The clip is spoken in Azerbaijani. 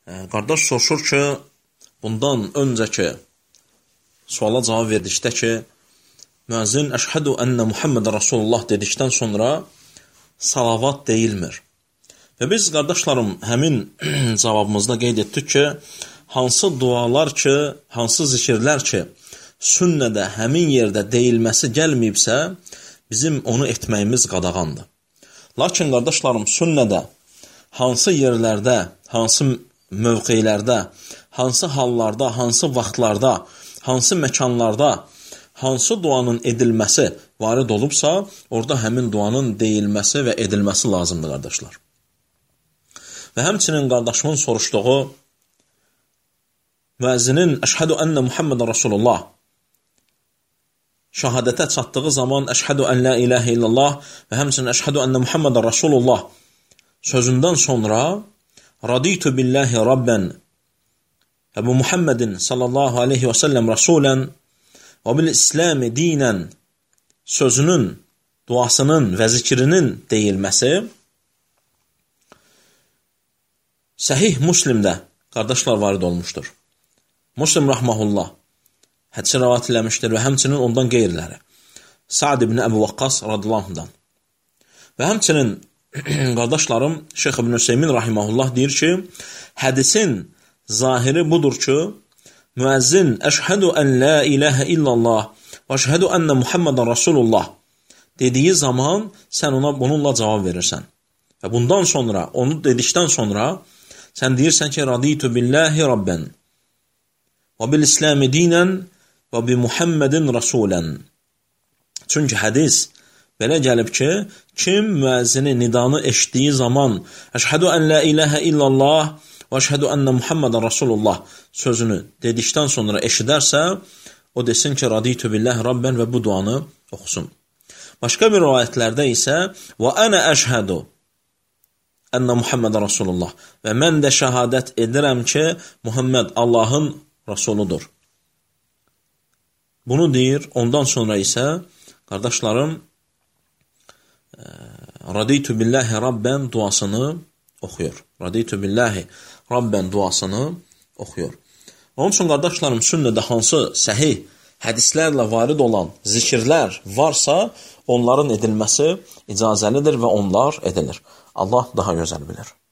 Qardaş soruşur ki, bundan öncəki suala cavab verdikdə ki, müəzzin əşhədu ənə Muhammedən Rasulullah dedikdən sonra salavat deyilmir. Və biz, qardaşlarım, həmin cavabımızda qeyd etdik ki, hansı dualar ki, hansı zikirlər ki, sünnədə həmin yerdə deyilməsi gəlməyibsə, bizim onu etməyimiz qadağandır. Lakin, qardaşlarım, sünnədə hansı yerlərdə, hansı mövqelərdə, hansı hallarda, hansı vaxtlarda, hansı məkanlarda, hansı duanın edilməsi varid olubsa, orada həmin duanın deyilməsi və edilməsi lazımdır, qardaşlar. Və həmçinin qardaşımın soruşduğu müəzzinin əşhədu ənə Muhammedən Rasulullah şəhadətə çatdığı zaman əşhədu ən la ilahə illallah və həmçinin əşhədu ənə Muhammedən Rasulullah sözündən sonra raditu billahi rabben və bu Muhammedin sallallahu aleyhi və səlləm rasulən və bil İsləmi dinən sözünün, duasının və zikrinin deyilməsi Səhih Müslimdə qardaşlar varid olmuşdur. Müslim rahməhullah hədisi rəvat eləmişdir və həmçinin ondan qeyriləri. Sa'd ibn Əbu Vaqqas radiyallahu anhudan. Və həmçinin qardaşlarım Şeyx ibn Hüseymin rahiməhullah deyir ki, hədisin zahiri budur ki, müəzzin əşhədu ən la ilahə illallah və əşhədu ənə Muhammedən Rasulullah dediyi zaman sən ona bununla cavab verirsən. Və bundan sonra, onu dedikdən sonra sən deyirsən ki, raditu billahi rabben və bil İsləmi dinən və bi Muhammedin rasulən. Çünki hədis belə gəlib ki, kim müəzzini nidanı eşitdiyi zaman əşhədu ən la ilahə illallah və əşhədu ənə Muhammedən Rasulullah sözünü dedikdən sonra eşidərsə, o desin ki, raditu billahi rabben və bu duanı oxusun. Başqa bir rivayətlərdə isə və ənə əşhədu ənə Muhammedən Rasulullah və mən də şəhadət edirəm ki, Muhammed Allahın Rasuludur. Bunu deyir, ondan sonra isə, qardaşlarım, raditu billahi rabben duasını oxuyur. Raditu billahi rabben duasını oxuyur. Onun üçün, qardaşlarım, sünnədə hansı səhih hədislərlə varid olan zikirlər varsa, onların edilməsi icazəlidir və onlar edilir. Allah daha gözəl bilir.